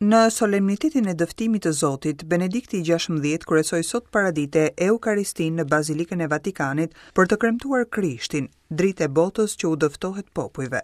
Në solemnitetin e dëftimit të Zotit, Benedikti i 16 kryesoi sot paradite Eukaristinë në Bazilikën e Vatikanit për të kremtuar Krishtin, dritë e botës që u dëftohet popujve.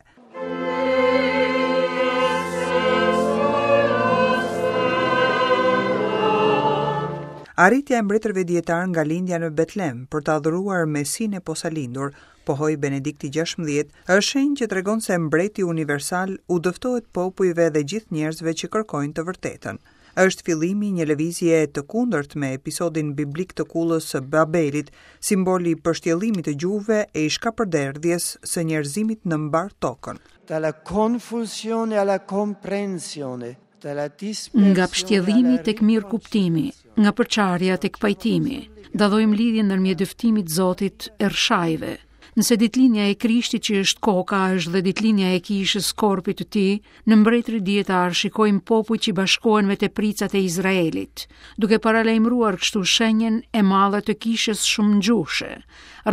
Arritja e mbretërve dijetarë nga lindja në Betlem për të adhuruar Mesinë e posalindur, pohoi Benedikti 16, është shenjë që tregon se mbreti universal u dëftohet popujve dhe gjithë njerëzve që kërkojnë të vërtetën. Është fillimi i një lëvizjeje të kundërt me episodin biblik të kullës së Babelit, simbol i pështjellimit të gjuhëve e i shkapërderdhjes së njerëzimit në mbarë tokën. Dalla confusione alla comprensione, dalla Nga pështjellimi tek mirëkuptimi, nga përçarja tek pajtimi, dallojmë lidhjen ndërmjet dëftimit të Zotit e Rrëshajve. Nëse ditëlindja e Krishtit që është koka është dhe ditëlindja e kishës korpit të tij, në mbretërit dijetarë shikojmë popujt që bashkohen me tepricat e Izraelit, duke paralajmëruar kështu shenjën e madhe të kishës shumëgjuhëshe,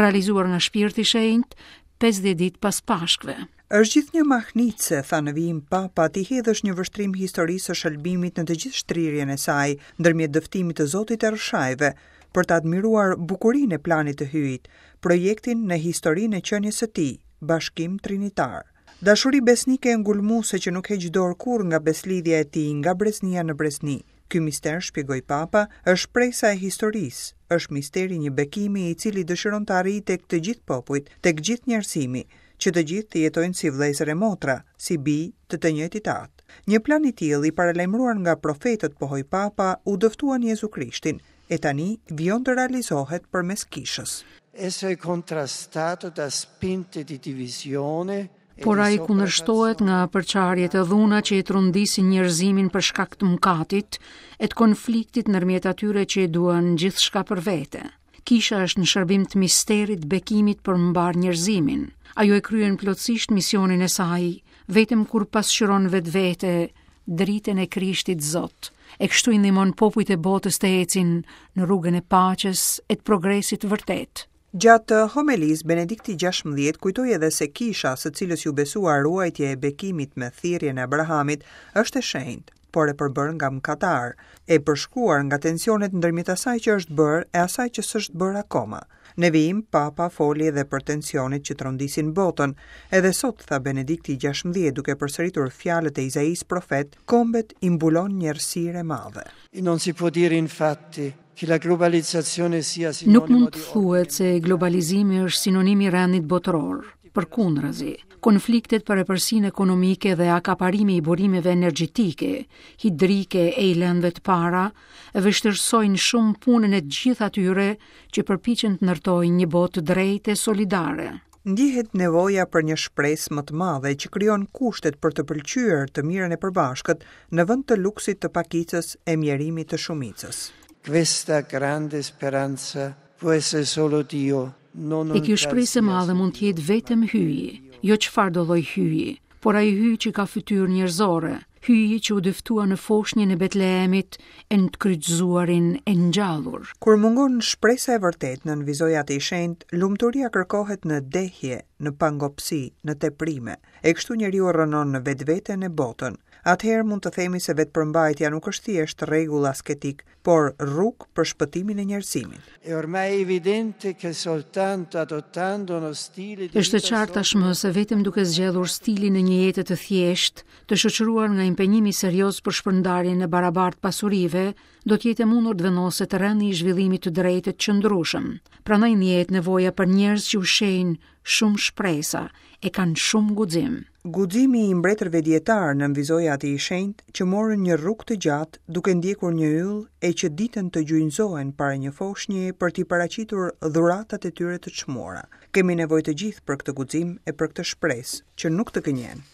realizuar nga Shpirti i Shenjtë 50 ditë pas Pashkëve. Është gjithnjë mahnitëse, tha në vijim Papa, t'i hedhësh një vështrim historisë së shëlbimit në të gjithë shtrirjen e saj, ndërmjet dëftimit të Zotit e Rrëshajve, për të admiruar bukurinë e planit të Hyjit, projektin në historinë e qenies së tij, bashkim trinitar. Dashuri besnike e ngulmuese që nuk heq dorë kurrë nga besëlidhja e tij nga breznia në brezni. Ky mister, shpjegoi Papa, është shpresa e historisë, është misteri i një bekimi i cili dëshiron të arrijë tek të gjithë popujt, tek gjithë njerëzimi, që të gjithë të jetojnë si vëllezër e motra, si bij të të njëjtit Atë. Një plan i tillë, i paralajmëruar nga profetët, pohoi Papa, u dëftua në Jezu Krishtin, e tani vijon të realizohet përmes Kishës. Esso è contrastato da spinte di divisione e Por ai kundërshtohet nga përçarjet e dhuna që e trondisin njerëzimin për shkak të mëkatit e të konfliktit ndërmjet atyre që e duan gjithçka për vete. Kisha është në shërbim të misterit të bekimit për mbarë njerëzimin. Ajo e kryen plotësisht misionin e saj, vetëm kur pasqyron vetvete dritën e Krishtit Zot, e kështu i ndihmon popujt e botës të ecin në rrugën e paqes e të progresit të vërtetë. Gjatë homelisë, Benedikti 16 kujtoi edhe se kisha, së cilës iu besua ruajtja e bekimit me thirrjen e Abrahamit, është e shenjtë, por e përbërë nga mëkatarë, e përshkuar nga tensionet ndërmjet asaj që është bërë e asaj që s'është bërë akoma. Në vijim, Papa foli edhe për tensionet që trondisin botën. Edhe sot, tha Benedikti i 16, duke përsëritur fjalët e Izaisë profet, kombet i mbulon një errësirë e madhe. E non si può dire infatti che la globalizzazione sia Nuk mund të thuhet se globalizimi është sinonim i rendit botëror. Përkundrazi, konfliktet për epërsinë ekonomike dhe akaparimi i burimeve energjetike, hidrike e i lëndëve të para, e vështirësojnë shumë punën e të gjithë atyre që përpiqen të ndërtojnë një botë të drejtë e solidare. Ndjehet nevoja për një shpresë më të madhe që krijon kushtet për të pëlqyer të mirën e përbashkët në vend të luksit të pakicës e mjerimit të shumicës. Questa grande speranza può essere solo Dio, non E kjo shpresë e madhe mund të jetë vetëm hyji, jo çfarëdo lloj hyji, por ai hyj që ka fytyrë njerëzore, hyji që u dëftua në foshnjën e Betlehemit e në të kryqëzuarin e ngjallur. Kur mungon shpresa e vërtetë, nënvizoi Ati i Shenjtë, lumturia kërkohet në dehje, në pangopësi, në teprime. E kështu njeriu rrënon në vetveten e botën. Atëherë mund të themi se vetëpërmbajtja nuk është thjesht rregull asketik, por rrugë për shpëtimin e njerëzimit. È ormai evidente che soltanto adottando uno stile di Është e qartë tashmë se vetëm duke zgjedhur stilin e një jete të thjeshtë, të shoqëruar nga impenjimi serioz për shpërndarjen e barabartë pasurive, do të jetë e mundur të vendoset rendi i zhvillimit të drejtë e të qëndrueshëm. Prandaj ndjehet nevoja për njerëz që ushqejnë shumë shpresa e kanë shumë guxim. Guximi i mbretërve dijetarë, nënvizoi Ati i Shenjtë, që morën një rrugë të gjatë duke ndjekur një yll e që ditën të gjunjëzohen para një foshnjeje për t'i paraqitur dhuratat e tyre të çmuara. Kemi nevojë të gjithë për këtë guxim e për këtë shpresë, që nuk të gënjen.